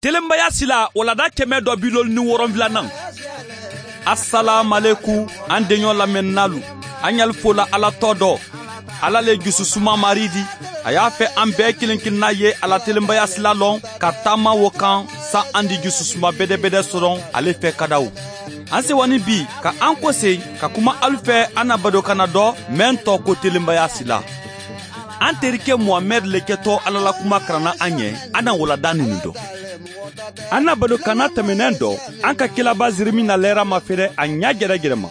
Telenbaya sila walada 157nan. Asalamualeykum an denɲɔ lamɛnnalu. An y'al fola Ala tɔ dɔ. Ala le jususuma mari di. A y'a fɛ an bɛɛ kelen kelenna ye ala telenbaya sila lɔn ka taama wo kan sa an di jususuma bɛdɛbɛdɛ sɔrɔ ale fɛ kadaw. An sewani bi ka an kɔse ka kuma alu fɛ an na badokana dɔ mɛn tɔ ko telenbaya sila. An terikɛ Muhamɛd le kɛtɔ Ala la kuma karanna an ɲɛ, an na walada nin dɔ. An na badokana tɛmɛnɛn dɔ, an ka kelaba Zeremi na lɛra mafɛrɛ a ɲa gɛrɛgɛrɛ ma.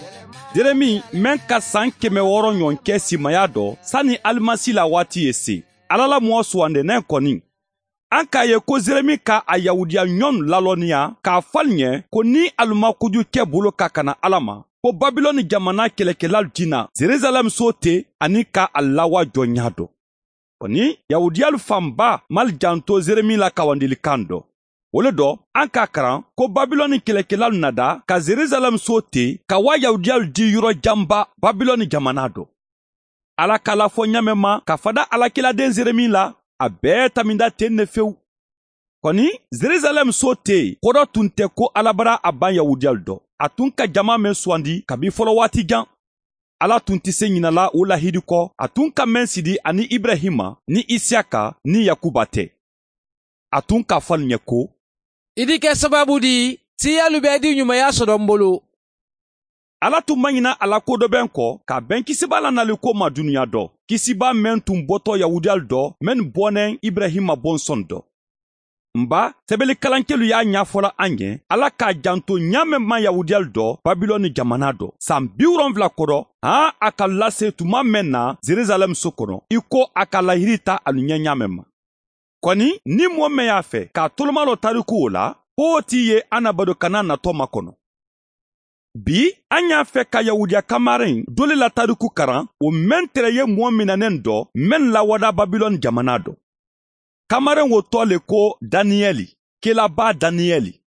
Zeremi mɛn ka san 600 ɲɔgɔn kɛ simaya dɔ sani Alimasi la waati ye se. Ala la mɔgɔ sugandɛnɛ kɔni. An k'a ye ko Zeremi ka a Yahudiya ɲɔgɔn lalɔnniya k'a fɔ alu ɲɛ ko ni alu ma kojugu kɛ bolo ka kana Ala ma, ko Babilɔni jamana kɛlɛkɛlalu tina Jerusalɛm so ten ani ka a lawa jɔ ɲa dɔ. Kɔni Yahudiyalu fanba mal janto Zeremi la kawandilikan dɔ. O le dɔ an k'a karan ko Babilɔni kɛlɛkɛlalu nada ka Jerusalɛm so ten ka wa Yahudiyalu di yɔrɔ janba Babilɔni jamana dɔ. Ala k'a lafɔ ɲamɛ ma ka fada Alakiladen Zeremi la, a bɛɛ taminda ten ne fewu. Kɔni Jerusalɛm so ten kɔrɔ tun tɛ ko Ala bara a ban Yahudiyalu dɔ. A tun ka jama mɛn sugandi kabi fɔlɔ waati jan. Ala tun tɛ se ɲinala o lahidi kɔ, a tun ka mɛn sidi ani Ibrahima ni Isiyaka ni Yakuba tɛ. A tun k'a fɔ ɲɛ ko, I di kɛ sababu di, siyalu bɛɛ di ɲumanya sɔrɔ n bolo. Ala tun ma ɲina a la ko dɔ bɛn kɔ, ka bɛn kisiba la nali ko ma dunuya dɔ. Kisiba mɛn tun bɔtɔ Yahudiyalu dɔ, mɛn bɔnɛ Ibrahima bɔnsɔn dɔ. Nba sɛbɛnnikalankɛlu y'a ɲɛfɔla an ɲɛ, Ala k'a janto ɲa mɛn ma Yahudiyalu dɔ Babilɔni jamana dɔ. San 70 kɔrɔ, han a ka lase tuma mɛn na Jerusalɛm so kɔnɔ, i ko a ka lahiri ta alu ɲɛ ɲa mɛn ma. Kɔni ni mɔgɔ mɛn y'a fɛ k'a toloma lɔ tariku o la, k'o t'i ye an na badokana natɔ makɔnɔ. Bi an y'a fɛ ka Yahudiya kamaren dole la tariku karan, o mɛn tɛrɛ ye mɔgɔ minɛnen dɔ, mɛn lawada Babilɔni jamana dɔ. Kamaren wo tɔ le ko Daniyɛli, kelaba Daniyɛli.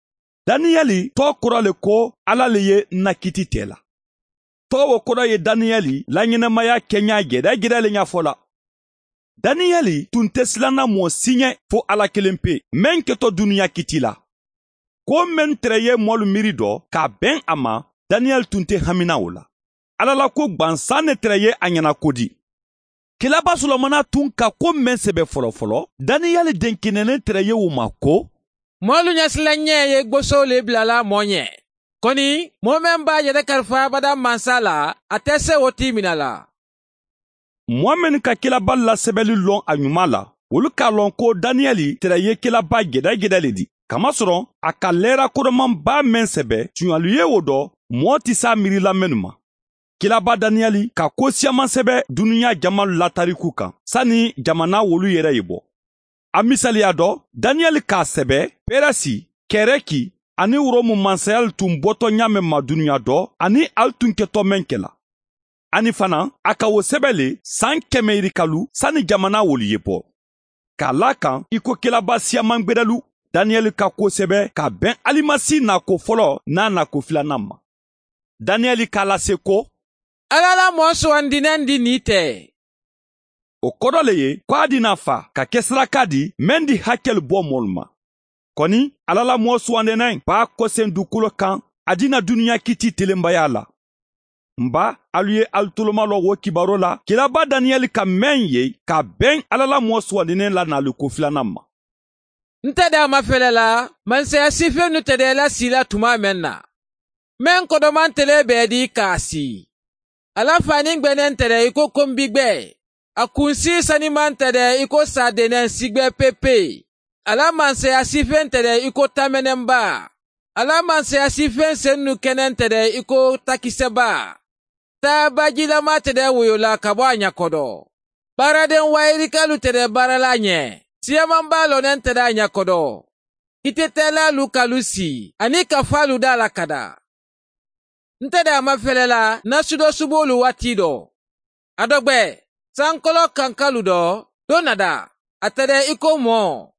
Daniyɛli tɔ kɔrɔ le ko Ala le ye nakiti tɛ la. Tɔ wo kɔrɔ ye Daniyɛli la ɲɛnamaya kɛɲa gɛrɛgɛrɛ le ɲɛfɔ la. Daniyɛli tun tɛ silanna mɔgɔ si ɲɛ fo Ala kelen pe, mɛn kɛtɔ dunuya kiti la. Ko mɛn tɛrɛ ye mɔlu miiri dɔ k'a bɛn a ma, Daniyɛli tun tɛ hamina o la. Ala la ko gbansan ne tɛrɛ ye a ɲɛna ko di. Kelaba Solomana tun ka ko mɛn sɛbɛ fɔlɔfɔlɔ, Daniyɛli den kenɛnen tɛrɛ ye o ma ko, Mɔlu ɲɛsilan ɲɛ ye gboso le bilala mɔ ɲɛ. Kɔni, mɔɔ mɛn b'a yɛrɛ kalifa abada mansa la, a tɛ se o t'i minɛ la. Mɔgɔ minnu ka kelaba lasɛbɛli lɔn a ɲuman la, olu k'a lɔn ko Daniyɛli tɛrɛ ye kelaba gɛdɛgɛdɛ le di. Kamasɔrɔ a ka lɛra kɔrɔmanba mɛn sɛbɛ, tuɲalu ye o dɔ, mɔgɔ tɛ s'a miirila minnu ma. Kelaba Daniyɛli ka ko siyaman sɛbɛ dunuya jama latariku kan, sani jamana wolu yɛrɛ ye bɔ. A misaliya dɔ, Daniyɛli k'a sɛbɛ Pɛrɛsi, Kɛrɛki ani Rɔmu mansayali tun bɔtɔ ɲa mɛn ma dunuya dɔ, ani ali tun kɛtɔ mɛn kɛla. Ani fana, a ka o sɛbɛ le san 100 yirikalu sani jamana wolu ye bɔ. K'a la kan i ko kelaba siyaman gbɛrɛlu, Daniyɛli ka ko sɛbɛ ka bɛn Alimasi nako fɔlɔ n'a nako filanan ma. Daniyɛli k'a lase ko, Ala la mɔgɔ sugandinen di nin tɛ. O kɔrɔ le ye ko a di na fa ka kɛ saraka di mɛn di hakɛli bɔ mɔlu ma. Kɔni Ala la mɔgɔ sugandinen b'a kɔsen dugukolo kan, a di na dunuya kiti telenbaya la. Nba alu ye alu toloma lɔ wo kibaro la, kelaba Daniyɛli ka mɛn ye ka bɛn Ala la mɔgɔ sugandinen la nali ko filanan ma. N tɛ da ma fɛlɛ la, mansaya sifɛn nu tɛ dɛ la si la tuma mɛn na. Mɛn kɔdɔman tɛlɛ bɛɛ di k'a si. Ala fani gbɛnɛn tɛ dɛ i ko konbigbɛ. A kunsi saniman tɛ dɛ i ko sadenɛ sigbɛ pepe. Ala mansaya sifɛn tɛ dɛ i ko tamɛnɛnba. Ala mansaya sifɛn sen nu kɛnɛn tɛ dɛ i ko takisɛba. Taa bajilama tɛ dɛ woyola ka bɔ a ɲakɔdɔ. Baaraden wayirikalu tɛ dɛ baarala ɲɛ. Siyamanba lɔnɛn tɛ dɛ a ɲakɔdɔ. Kitetɛlalu kalu si ani ka falu da la kada. N tɛ dɛ a ma fɛlɛ la nasudɔ subolu waati dɔ. A dɔ gbɛ sankɔlɔ kankalu dɔ don nada a tɛ dɛ i ko mɔ.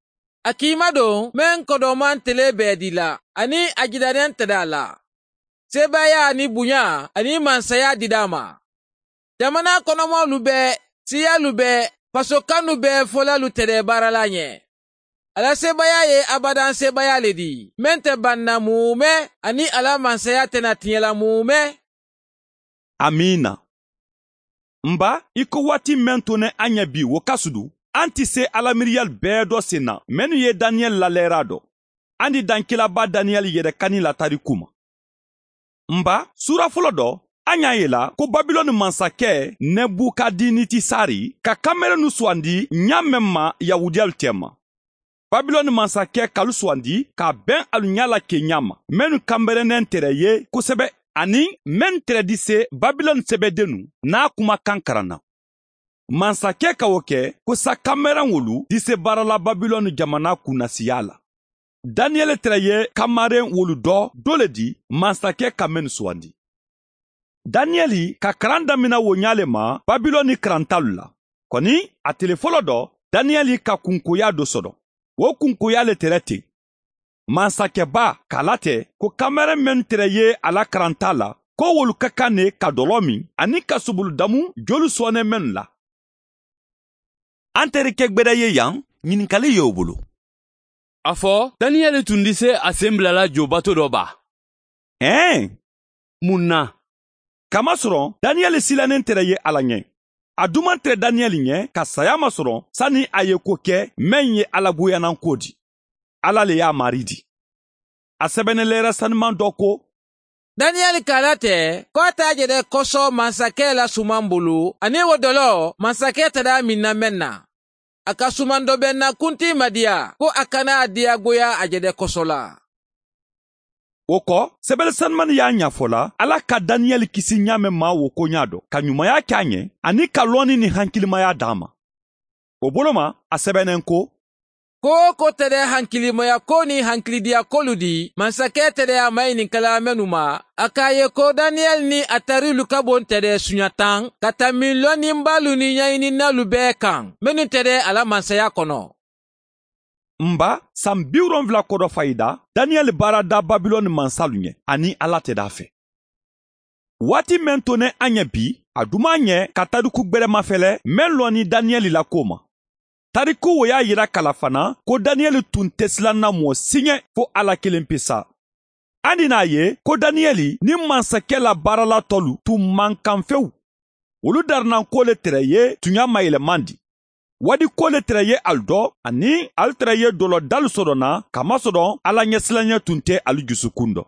A k'i ma don mɛn kɔdɔman tele bɛɛ di la ani a jidanen tɛ dɛ a la. Sebaaya ni bonya ani mansaya dida ma. Jamana kɔnɔmɔlu bɛɛ, siyalu bɛɛ, fasokanu bɛɛ fɔlalu tɛ dɛ baarala ɲɛ. Ala sebaya ye abadan sebaya le di, mɛn tɛ banna mumɛ, ani ala mansaya tɛna tiɲɛla mumɛ. Amiina. Nba, i ko waati mɛn to ne an ɲɛ bi wo ka sudu, an tɛ se alamiiriyali bɛɛ dɔ sen na, minnu ye Daniyɛli lalɛra dɔ. An di dankilaba Daniyɛli yɛrɛ kani la tariku ma. Nba, sura fɔlɔ dɔ, an y'a ye la ko Babilɔni mansakɛ Nebukadinitisari ka kanmɛrɛnu suwandi ɲa mɛn ma Yahudiyalu cɛma. Babilɔni mansakɛ kalu suwandi ka bɛn alu ɲa la ke ɲa ma, minnu kanbɛrɛnɛn tɛrɛ ye kosɛbɛ, ani mɛn tɛrɛ di se Babilɔni sɛbɛdennu n'a kumakan karanna. Mansakɛ ka o kɛ ko sa kanmɛrɛn wolu di se baarala Babilɔni jamana kunnasiya la. Daniyɛli tɛrɛ ye kamaren wolu dɔ dɔ le di mansakɛ ka mɛnnu suwandi. Daniyɛli ka karan damina wo ɲa le ma Babilɔni karantalu la. Kɔni a tele fɔlɔ dɔ, Daniyɛli ka kunkoya dɔ sɔrɔ. O kunkoya le tɛrɛ ten. Mansakɛba k'a latɛ ko kamaren mɛn tɛrɛ ye a la karanta la, ko wolu ka kan ne ka dɔlɔ min ani ka soboludamu jolu sɔnɛ mɛnnu la. An terikɛ gbɛdɛ ye yan, ɲininkali y'o bolo. A fɔ, Daniyɛli tun tɛ se a sen bilala jobato dɔ ba. Ɛn! Mun na? Kamasɔrɔ Daniyɛli silannen tɛrɛ ye Ala ɲɛ. A duman tɛrɛ Daniyɛli ɲɛ ka saya masɔrɔ sani a ye ko kɛ mɛn ye Ala goyannan ko di. Ala le y'a mari di. A sɛbɛnnen lɛrɛ sanuman dɔ ko, Daniyɛli k'a latɛ ko a t'a jɛrɛ kɔsɔ mansakɛ la suman bolo, ani wo dɔlɔ mansakɛ tɛrɛ min na mɛn na. A ka suman dɔ bɛ na kunti madiya ko a kana a diyagoya a jɛrɛ kɔsɔ la. O kɔ, sɛbɛnni sanumani y'a ɲɛfɔ la, Ala ka Daniyɛli kisi ɲa mɛn ma wo ko ɲa dɔ, ka ɲumanya kɛ a ɲɛ, ani ka lɔnni ni hankilimaya d'a ma. O bolo ma, a sɛbɛnnen ko, ko ko tɛrɛ hankilimaya ko ni hankilidiya kolu di, mansakɛ tɛrɛ a maɲininkala mɛnnu ma, a k'a ye ko Daniyɛli ni a tarilu ka bon tɛrɛ suɲa tan, ka tami lɔnnibalu ni ɲɛɲininalu bɛɛ kan, minnu tɛrɛ a la mansaya kɔnɔ. Nba, san 70 kɔdɔ fayida, Daniyɛli baara da Babilɔni mansalu ɲɛ, ani Ala tɛ d'a fɛ. Waati mɛn to ne an ɲɛ bi, a duman ɲɛ ka tariku gbɛrɛ mafɛlɛ mɛn lɔni Daniyɛli la ko ma. Tariku wo y'a yira kala fana ko Daniyɛli tun tɛ silanna mɔɔ si ɲɛ fo Ala kelen pe sa. An n'a ye ko Daniyɛli ni mansakɛ la baarala tɔlu tun man kan fewu. Olu darinan ko le tɛrɛ ye tunya mayɛlɛman di. Wadi ko le tɛrɛ ye alu dɔ, ani alu tɛrɛ ye dɔlɔ dalu sɔrɔ na, kamasɔrɔ Ala ɲɛsilanɲɛ tun tɛ alu jusukun dɔ.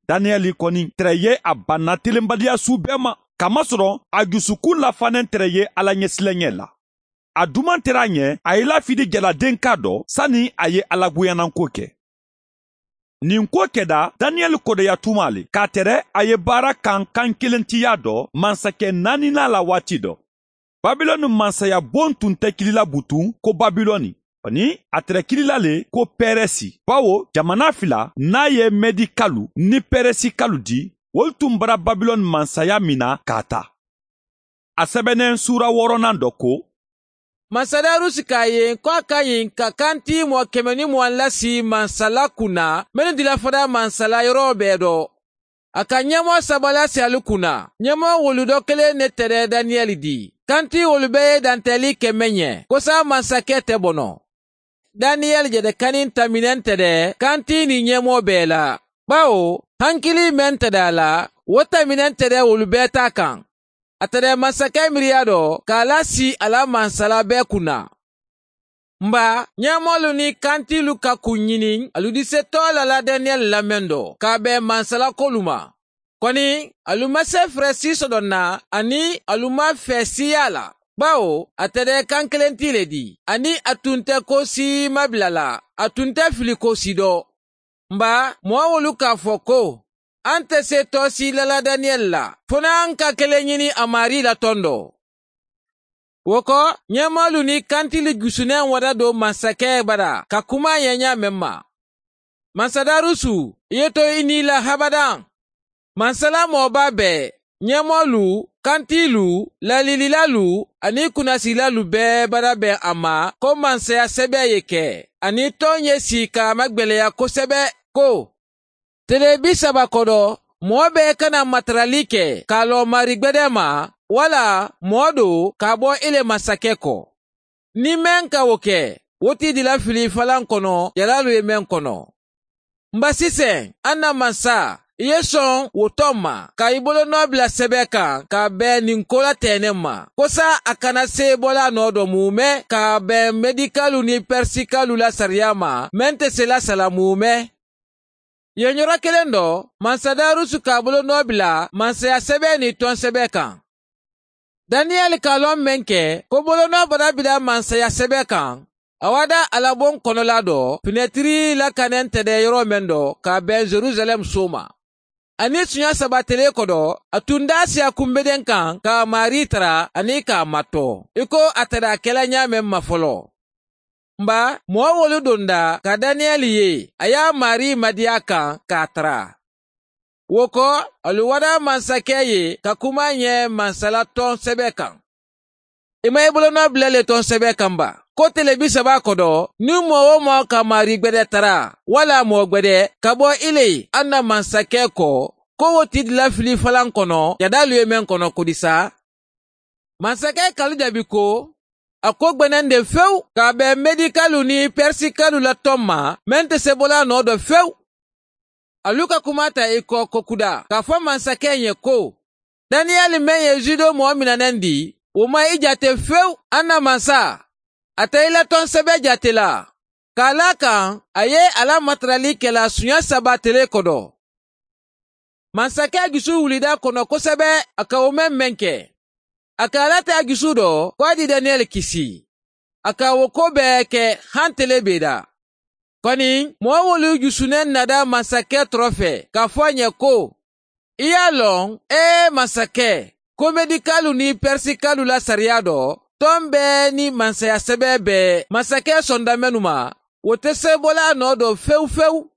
Daniyɛli kɔni tɛrɛ ye a banna telenbaliya su bɛɛ ma, kamasɔrɔ a jusukun lafanen tɛrɛ ye Ala ɲɛsilanɲɛ la. A duman tɛrɛ a ɲɛ, a ye lafidi jaladen ka dɔ, sani a ye Ala goyannanko kɛ. Nin ko kɛda Daniyɛli kɔdɔya tuma le, k'a tɛrɛ a ye baara kan kan kelentiya dɔ, mansakɛ naaninan la waati dɔ. Babilɔni mansaya bon tun tɛ kilila butun ko Babilɔni, ani a tɛrɛ kilila le ko Pɛrɛsi, bawo jamana fila n'a ye Mɛdikalu ni Pɛrɛsikalu di, olu tun bara Babilɔni mansaya min na k'a ta. A sɛbɛnnen sura wɔɔrɔnan dɔ ko, Masadarusi k'a ye ko a ka ɲi ka kanti mɔgɔ 120 lasi mansala kunna, minnu dila fara mansala yɔrɔ bɛɛ dɔ. A ka ɲɛmɔgɔ saba lasi alu kunna, ɲɛmɔgɔ wolu dɔ kelen ne tɛrɛ Daniyɛli di. Kanti wolu bɛɛ ye dantɛli kɛmɛ ɲɛ, ko sa mansakɛ tɛ bɔnɔ. Daniyɛli jɛdɛkani taminɛn tɛrɛ kanti ni ɲɛmɔgɔ bɛɛ la. Bawo, hankili mɛn tɛrɛ a la, o taminɛn tɛrɛ wolu bɛɛ ta kan. A tɛrɛ masakɛ miiriya dɔ k'a lasi a la mansala bɛɛ kunna. Nba, ɲɛmɔgɔlu ni kantilu ka kun ɲini, alu di se tɔ la la Daniyɛli lamɛn dɔ, k'a bɛn mansala kolu ma. Kɔni, alu ma se fɛrɛ si sɔrɔ na, ani alu ma fɛ siya la. Bawo, a tɛrɛ kan kelen ti le di, ani a tun tɛ ko si mabila la, a tun tɛ fili ko si dɔ. Nba, mɔgɔ wolu k'a fɔ ko, an tɛ se tɔ si la la Daniyɛli la, fo n'an ka kelen ɲini a mari la tɔn dɔ. O kɔ, ɲɛmɔgɔlu ni kantili gusunen wada don masakɛ bara ka kuma ɲɛɲa mɛn ma. Masadarusu, i ye to i ni la habadan. Mansala mɔgɔba bɛɛ, ɲɛmɔgɔlu, kantilu, lalililalu ani kunnasilalu bɛɛ bara bɛn a ma ko mansaya sɛbɛ ye kɛ, ani tɔn ye si k'a magwɛlɛya kosɛbɛ ko, tele 30 kɔdɔ, mɔgɔ bɛɛ kana matarali kɛ k'a lɔ mari gbɛdɛ ma, wala mɔgɔ do k'a bɔ ile masakɛ kɔ. Ni mɛn ka o kɛ, Wo ti dila fili falan kɔnɔ jalalu ye mɛn kɔnɔ. Nba sisan an na mansa i ye sɔn wo tɔ ma ka i bolonɔ bila sɛbɛ kan ka bɛn nin ko la tɛnɛ ma kosa a kana se bɔla nɔ dɔ mumɛ ka bɛn medikalu ni pɛrisikalu la sariya ma mɛn tɛ se la sala mumɛ. Yen yɔrɔ kelen dɔ mansa Darusu k'a bolonɔ bila mansaya sɛbɛn ni tɔn sɛbɛn kan. Daniyɛli k'a lɔn mɛn kɛ ko bolonɔ bada bila mansaya sɛbɛn kan a wada alabon kɔnɔla dɔ finɛtiri lakanɛn tɛ dɛ yɔrɔ mɛn dɔ ka bɛn Jerusalɛm so ma. Ani sunya saba tele kɔdɔ a tun da siya kunbeden kan ka mari tara ani k'a matɔ i ko a tɛrɛ a kɛla ɲa mɛn ma fɔlɔ. Nba mɔgɔ wolu donda ka Daniyɛli ye a y'a mari madiya kan k'a tara. Wo kɔ alu wada mansakɛ ye ka kuma ɲɛ mansala tɔn sɛbɛ kan. I ma i bolonɔ bila le tɔn sɛbɛ kan ba. Ko tele 30 kɔdɔ ni mɔgɔ o mɔgɔ ka mari gbɛdɛ tara wala mɔgɔ gbɛdɛ ka bɔ ile an na mansakɛ kɔ ko wo ti dila fili falan kɔnɔ jadalu ye mɛn kɔnɔ kodisa. Mansakɛ kalu jaabi ko a ko gbɛnɛn de fewu k'a bɛn medikalu ni pɛrisikalu la tɔn ma mɛn tɛ se bɔla nɔ dɔ fewu. Alu ka kuma ta i kɔ kokuda k'a fɔ mansakɛ ɲɛ ko Daniyɛli mɛn ye judo mɔgɔ minɛnɛn di o ma i jate fewu an na mansa. A tɛ i la tɔn sɛbɛ jate la k'a la kan a ye a la matarali kɛla sunya 3 tele kɔdɔ. Mansakɛ dusu wulida kɔnɔ kosɛbɛ a ka o mɛn kɛ. A ka ala tɛ a dusu dɔ ko a di Daniyɛli kisi. A ka o ko bɛɛ kɛ han tele bɛ da. Kɔni mɔgɔ wolu dusunɛ nada mansakɛ tɔrɔ fɛ k'a fɔ a ɲɛ ko i y'a lɔn ee mansakɛ ko medikalu ni pɛrisikalu la sariya dɔ tɔn bɛɛ ni mansaya sɛbɛ bɛɛ masakɛ sɔnda mɛnu ma o tɛ se bɔla nɔ dɔ fewu fewu.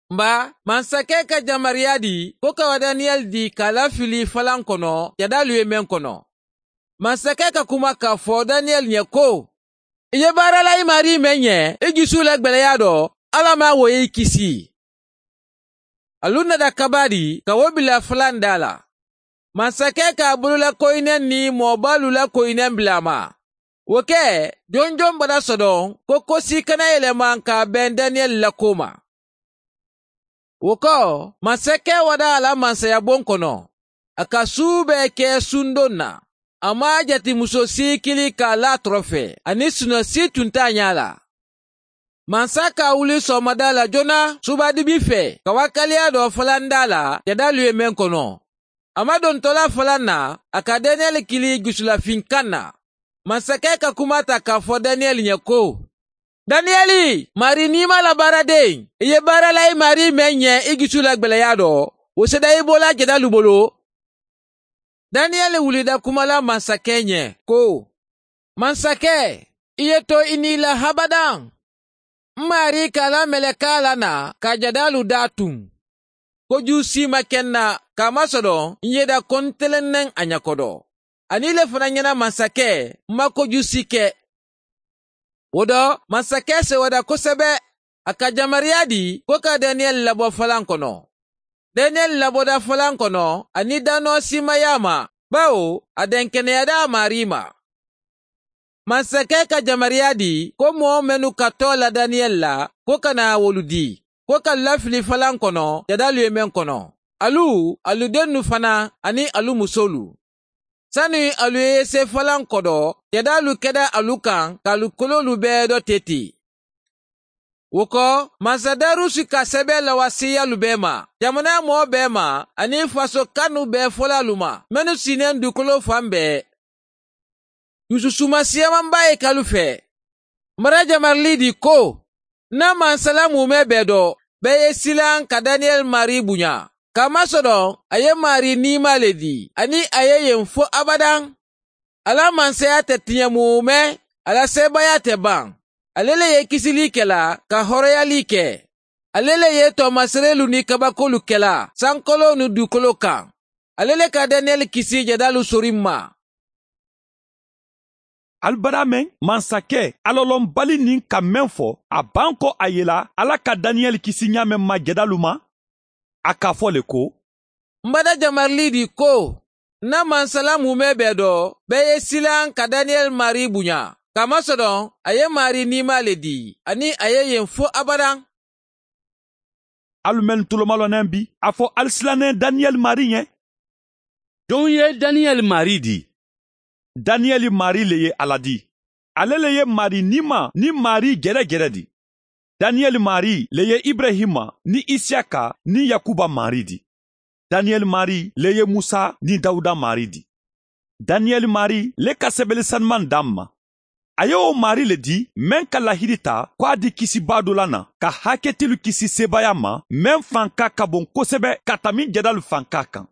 Nba mansakɛ ka jamariya di ko ka Daniyɛli di k'a lafili falan kɔnɔ jadalu ye mɛn kɔnɔ. Masakɛ ka kuma k'a fɔ Daniyɛli ɲɛ ko i ye baara la i mari mɛn ɲɛ i dusu la gbɛlɛya dɔ Ala ma wo y'i kisi. Alu nada kaba di ka wo bila falan da la. Masakɛ k'a bolola koyinɛ ni mɔbalu la koyinɛ bila a ma. O kɛ jɔnjɔn bada sɔdɔn ko kosi kana yɛlɛma k'a bɛn Daniyɛli la ko ma. O kɔ masakɛ wada a la mansayabon kɔnɔ. A ka su bɛɛ kɛ sundon na. A ma jate muso si kili k'a la tɔrɔ fɛ ani sunɔ si tun t'a ɲɛ la. Mansa ka wuli sɔgɔmada la joona subadibi fɛ ka wakaliya dɔ falan da la jadalu ye mɛn kɔnɔ. A ma dontɔla falan na a ka Daniyɛli kili jusulafinkan na. Masakɛ ka kuma ta k'a fɔ Daniyɛli ɲɛ ko Daniyɛli mari n'i ma la baaraden i ye baara la i mari mɛn ɲɛ i dusu la gbɛlɛya dɔ o seda i bɔla jadalu bolo. Daniyɛli wulida kuma la masakɛ ɲɛ ko masakɛ i ye to i ni la habadan. N mari k'a la mɛlɛka la na ka jadalu da tun. Koju si ma kɛ n na k'a masɔrɔ n ye da ko n tɛlɛnnɛn a ɲɛkɔrɔ. Ani le fana ɲɛna masakɛ n ma koju si kɛ. O dɔ masakɛ sewada kosɛbɛ a ka jamariya di ko ka Daniyɛli labɔ falan kɔnɔ. Daniyɛli labɔda falan kɔnɔ ani danɔ simaya ma bawo a dɛnkɛnɛyada mari ma. Masakɛ ka jamariya di ko mɔgɔ minnu ka tɔ la Daniyɛli la ko ka na wolu di ko ka lafili falan kɔnɔ jadalu ye mɛn kɔnɔ. Alu aludennu fana ani alu musolu. Sani alu ye se falan kɔdɔ jadalu kɛda alu kan k'alu kololu bɛɛ dɔ tete. O kɔ masadarusi ka sɛbɛn lawasiyalu bɛɛ ma jamana mɔgɔ bɛɛ ma ani faso kanu bɛɛ fɔla alu ma minnu sinnen dugukolo fan bɛɛ. Dususuma siyamanba ye kalu fɛ. Mara jamarili di ko n'a mansala mumɛ bɛɛ dɔ bɛɛ ye silan ka Daniyɛli mari bonya. K'a masɔrɔ a ye mari nima le di ani a ye yen fo abadan. Ala mansaya tɛ tiɲɛ mumɛ ala sebaaya tɛ ban. Ale le ye kisili kɛla ka hɔrɔnyali kɛ. Ale le ye tɔɔmaserelu ni kabakolu kɛla sankolo ni dugukolo kan. Ale le ka Daniyɛli kisi jadalu sori ma. Alibada mɛn mansakɛ alɔlɔnbali nin ka mɛn fɔ a ban kɔ a yela ala ka Daniyɛli kisi ɲa mɛn ma jadalu ma. A k'a fɔ le ko n bada jamarili di ko n'a mansala mumɛ bɛɛ dɔ bɛɛ ye silan ka Daniyɛli mari bonya. Kamasɔrɔ a ye Mari nima le di, ani a ye yen fo abadan. Alu mɛn tolomalɔnɛ bi, a fɔ ali silannen Daniyɛli mari ɲɛ. Jɔn ye Daniyɛli mari di? Daniyɛli mari le ye Ala di. Ale le ye mari nima ni mari gɛrɛgɛrɛ di. Daniyɛli mari le ye Ibrahima ni Isiyaka ni Yakuba mari di. Daniyɛli mari le ye Musa ni Dawuda mari di. Daniyɛli mari le ka sɛbɛli sanuman d'an ma. A ye o mari le di mɛn ka lahidi ta ko a di kisiba dɔ la na ka hakɛtilu kisi sebaya ma mɛn fanka ka bon kosɛbɛ ka tami jadalu fanka kan.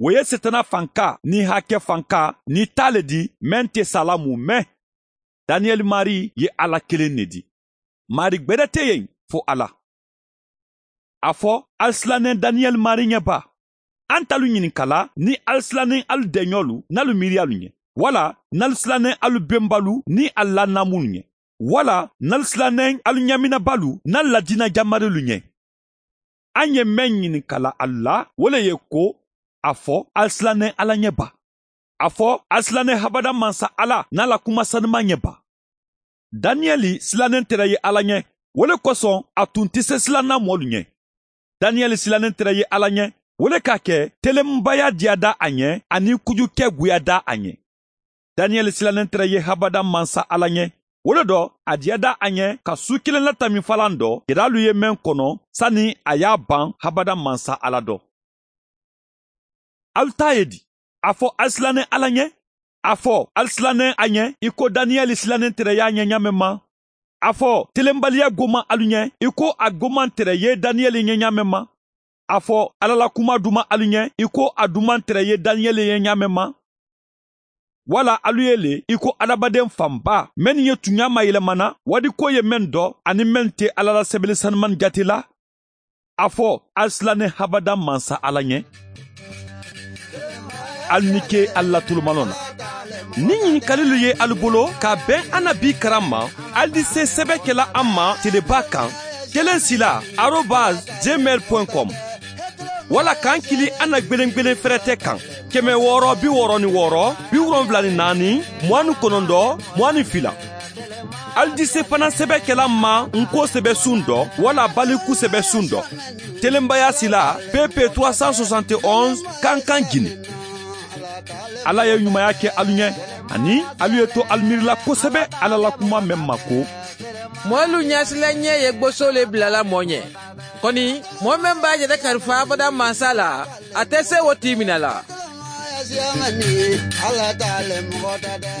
O ye setana fanka ni hakɛ fanka ni ta le di mɛn tɛ sala mun mɛn. Daniyɛli mari ye Ala kelen ne di. Mari gbɛdɛ tɛ yen fo Ala. A fɔ ali silannen Daniyɛli mari ɲɛ ba. An t'alu ɲininkala ni ali silannen alu dɛɲɔlu n'alu miiriyalu ɲɛ. Wala n'alu silannen alu benbalu ni alu lanamunw ɲɛ. Wala n'alu silannen alu ɲaminabalu n'alu ladinajamarilu ɲɛ. An ye mɛn ɲininkala alu la, o le ye ko a fɔ ali silannen Ala ɲɛ ba. A fɔ ali silannen habada mansa Ala n'a la kuma sanuman ɲɛ ba. Daniyɛli silannen tɛrɛ ye Ala ɲɛ, o le kosɔn a tun tɛ se silanna mɔlu ɲɛ. Daniyɛli silannen tɛrɛ ye Ala ɲɛ, o le k'a kɛ telenbaya diya da a ɲɛ ani kujukɛ goya da a ɲɛ. Daniyɛli silannen tɛrɛ ye habada mansa Ala ɲɛ, o le dɔ a diya da a ɲɛ ka su kelen latamifalan dɔ jɛdalu ye mɛn kɔnɔ sani a y'a ban habada mansa Ala dɔ. Alu ta ye di? A fɔ ali silannen Ala ɲɛ? A fɔ ali silannen a ɲɛ i ko Daniyɛli silannen tɛrɛ y'a ɲɛ ɲa mɛn ma? A fɔ telenbaliya goman alu ɲɛ i ko a goman tɛrɛ ye Daniyɛli ɲɛ ɲa mɛn ma? A fɔ Ala la kuma duman alu ɲɛ i ko a duman tɛrɛ ye Daniyɛli ɲɛ ɲa mɛn ma? Wala alu ye le i ko adamaden fanba mɛn ye tunya mayɛlɛmana wadi ko ye mɛn dɔ ani mɛn tɛ Ala la sɛbɛli sanuman jate la? A fɔ ali silannen habada mansa Ala ɲɛ. Alu ni ke ali la tolomalɔ na. Ni ɲininkalilu ye alu bolo ka bɛn an na bi karan ma, ali di se sɛbɛ kɛla an ma teleba kan 1sila@gmail.com wala k'an kili an na gwelen fɛrɛtɛ kan 666 74 29 22. Ali di se fana sɛbɛ kɛla ma nko sɛbɛ sun dɔ wala baliku sɛbɛ sun dɔ. Telenbaya sila PP 371 Kankan Guinée. Ala ye ɲumanya kɛ alu ɲɛ ani alu ye to alu miirila kosɛbɛ Ala la kuma mɛn ma ko Mɔlu ɲɛsila ɲɛ ye gboso le bilala mɔ ɲɛ. Kɔni mɔɔ mɛn b'a yɛrɛ kalifa abada mansa la, a tɛ se o t'i minɛ la. Ala t'ale mɔgɔ ta dɛ.